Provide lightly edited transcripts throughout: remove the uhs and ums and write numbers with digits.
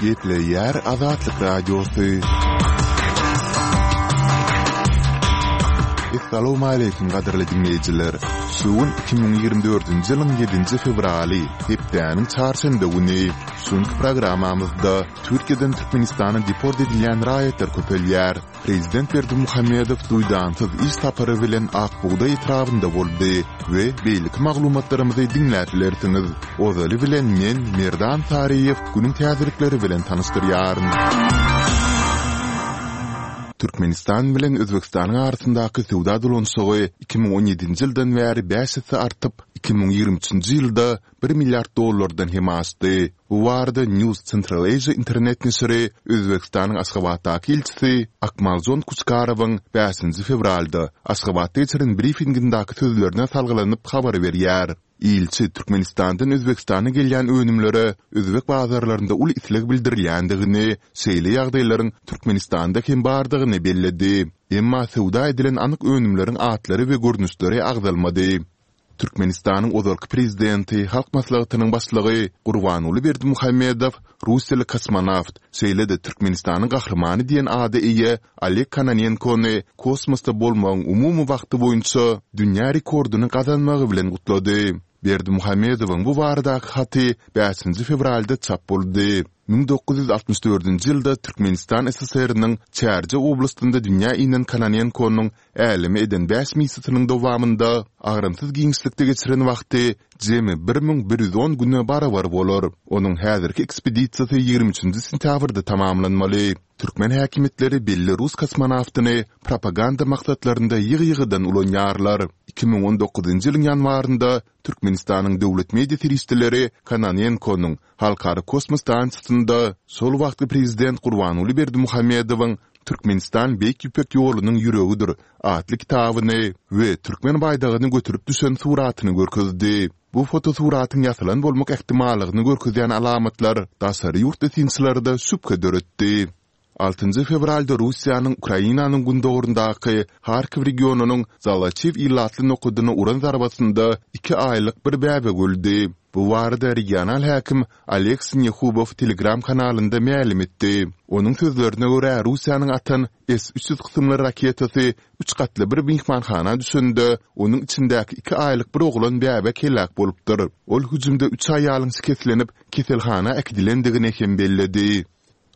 Gepleýär Azatlyk Radiosy. Essalawmaleýkim gadyrly diňleýjiler! Şu gün 2024-nji ýylyň ýedinji fewraly, hepdäniň çarşenbe güni. Şu günki programmamyzda Türkiýeden Türkmenistana deport edilýän raýatlar köpelýär. Prezident Berdimuhamedow duýdansyz iş sapary bilen Ak bugdaý etrabynda boldy we beýleki maglumatlarymyzy diňläp bilersiňiz. Ozaly bilen men, Merdan Saryýew, günüň täzelikleri bilen tanyşdyrýaryn. Türkmenistan bilen Özbegistanyň arasyndaky söwda dolanyşygy 2017-nji ýyldan bäri bäş esse artyp, 2023-nji ýylda bir milliard dollardan hem aşdy. Bu barada News Central Asia internet neşiri Özbegistanyň Aşgabatdaky ilçisi Akmaljon Kuçkarowyň bäşinji fewralda Aşgabatda geçiren brifingindäki sözlerine salgylanyp habar berýär. Ilçi Türkmenistandan Özbegistana gelýän önümlere özbek bazarlarynda uly isleg bildirilýändigini, şeýle ýagdaýlaryň Türkmenistanda hem bardygyny belledi. Emma söwda edilen anyk önümleriň atlary we görnüşleri agzalmady. Türkmenistanyň ozalky prezidenti, Halk Maslahatynyň Başlygy Gurbanguly Berdimuhamedow russiýaly kosmonawt, şeýle-de Türkmenistanyň Gahrymany diýen ada eýe Oleg Kononenkony kosmosda bolmagyň umumy wagty boýunça dünýä rekordyny gazanmagy bilen gutlady. Berdimuhamedowyň bu baradaky haty bäşinji fewralda çap boldy. 1964-nji ýylda Türkmenistan SSR-niň Çärjew oblastynda dünýä inen Kononenkonyň äleme eden bäş missiýasynyň dowamynda agramsyz giňişlikde geçiren wagty jemi 1110 güne barabar bolar. Onuň häzirki ekspedisiýasy 23 nji sentýabrda tamamlanmaly. Türkmen häkimiýetleri belli rus kosmonawtyny propaganda maksatlarynda ýygy-ýygydan ulanýarlar. 2019-njy ýylyň ýanwarynda Türkmenistanyň döwlet media serişdeleri Kononenkonyň Halkara kosmos stansiýasynda şol wagtky prezident Gurbanguly Berdimuhamedowyň Türkmenistan Beýik Ýüpek ýolunyň ýüregidir atly kitabyny we türkmen baýdagyny göterip düşen suratyny görkezdi. Bu fotosuratyň ýasalan bolmak ähtimallygyny görkezýän alamatlar daşary ýurtly synçylarda şübhe döretdi. Altynjy fewralda Russiýanyň Ukrainanyň gündogaryndaky Harkiw regionynyň Zalaçiw ilatly nokadyna uran zarbasynda iki aýlyk bir bäbek öldi. Bu barada regional häkim Oleg Sinehubow Telegram kanalynda mälim etdi. Onuň sözlerine görä, Russiýanyň atan S 300 kysymly raketasy üç gatly bir myhmanhana düşende, onuň içindäki iki aýlyk bir oglan bäbek heläk bolupdyr. Ol hüjümde üç aýalyň şikeslenip, keselhana äkidilendigini hem belledi.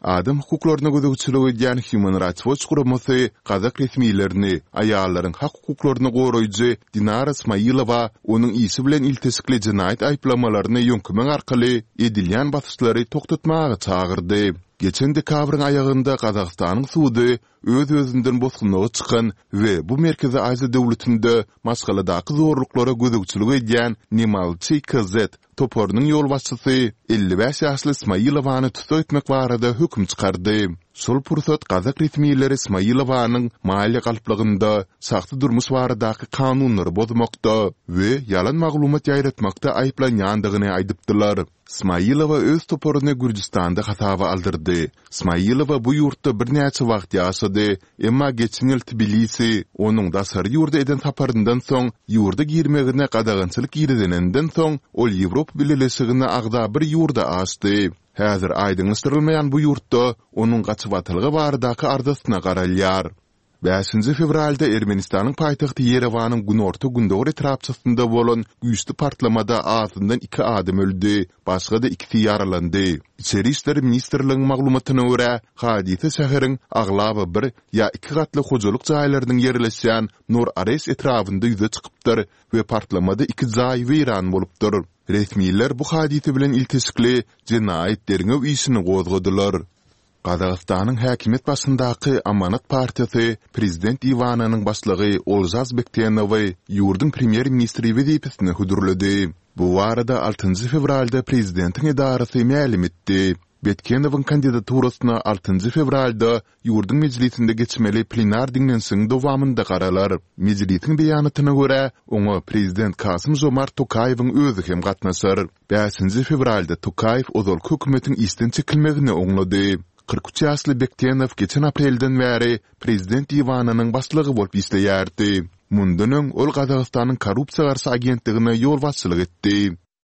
Adam hukuklaryna gözegçilik edýän Human Rights Watch guramasy gazak resmilerini aýallaryň hak-hukuklaryny goraýjy Dinara Smailowa onuň işi bilen ilteşikli jenaýat aýyplamalaryny ýöňkemek arkaly edilýän basyşlary togtatmaga çagyrdy. Geçen dekabryň aýagynda Gazagystanyň sudy öz-özünden bosgunlyga çykan we bu Merkezi Aziýa döwletinde maşgaladaky zorluklara gözegçilik edýän Nemalçy KZ toparynyň ýolbaşçysy 55 ýaşly Smailovany tussag etmek barada höküm çykardy. Şol pursat gazak resmileri Smailowanyň maliýe galplygynda, şahsy durmuş baradaky kanunlary bozmakda we ýalan maglumat ýaýratmakda aýyplanýandygyny aýdypdylar. Smailowa öz toparyny Gürjüstanda hasaba aldyrdy. Smailowa bu ýurtda birnäçe wagt ýaşady, emma geçen ýyl Tbilisi onuň daşary ýurda eden saparyndan soň ýurda girmegine gadagançylyk girizeninden soň, ol Ýewropa Bileleşigine agza bir ýurda aşdy. Häzir aýdyňlaşdyrylmaýan bu ýurtda onuň gaçybatalga baradaky arzasyna garalýar. Bäşinji fewralda Ermenistanyň paýtagty Ýerewanyň günorta-gündogar etrapçasynda bolan güýçli partlamada azyndan iki adam öldi, başga-da ikisi ýaralandy. Içeri işler ministrligiň maglumatyna görä, hadysa şäheriň aglaba bir ýa iki gatly hojalyk jaýlarynyň ýerleşýän Nor-Areş etrabynda ýüze çykypdyr we partlamada iki jaý weýran bolupdyr. Resmiler bu hadysa bilen ilteşikli jenaýat derňew işini gozgadylar. Gazagystanyň häkimiýet başyndaky Amanat partiýasy prezident diwanynyň başlygy Olžas Bektenowy ýurduň premýer-ministri wezipesine hödürledi. Bu barada altynjy fewralda prezidentiň edarasy mälim etdi. Betkenowyň kandidaturasyna altynjy fewralda ýurduň mejlisinde geçmeli plenar diňlenişigiň dowamynda garalar. Mejlisiň beýanatyna görä, oňa prezident Kasym-Žomart Tokaýewiň özi hem gatnaşar. Bäşinji fewralda Tokaýew ozalky hökümetiň işden çekilmegini oňlady. 43 ýaşly Bektenow geçen aprelden bäri prezident diwanynyň başlygy bolup işleýärdi. Mundan öň ol Gazagystanyň korrupsiýa garşy agentligine ýolbaşçylyk etdi.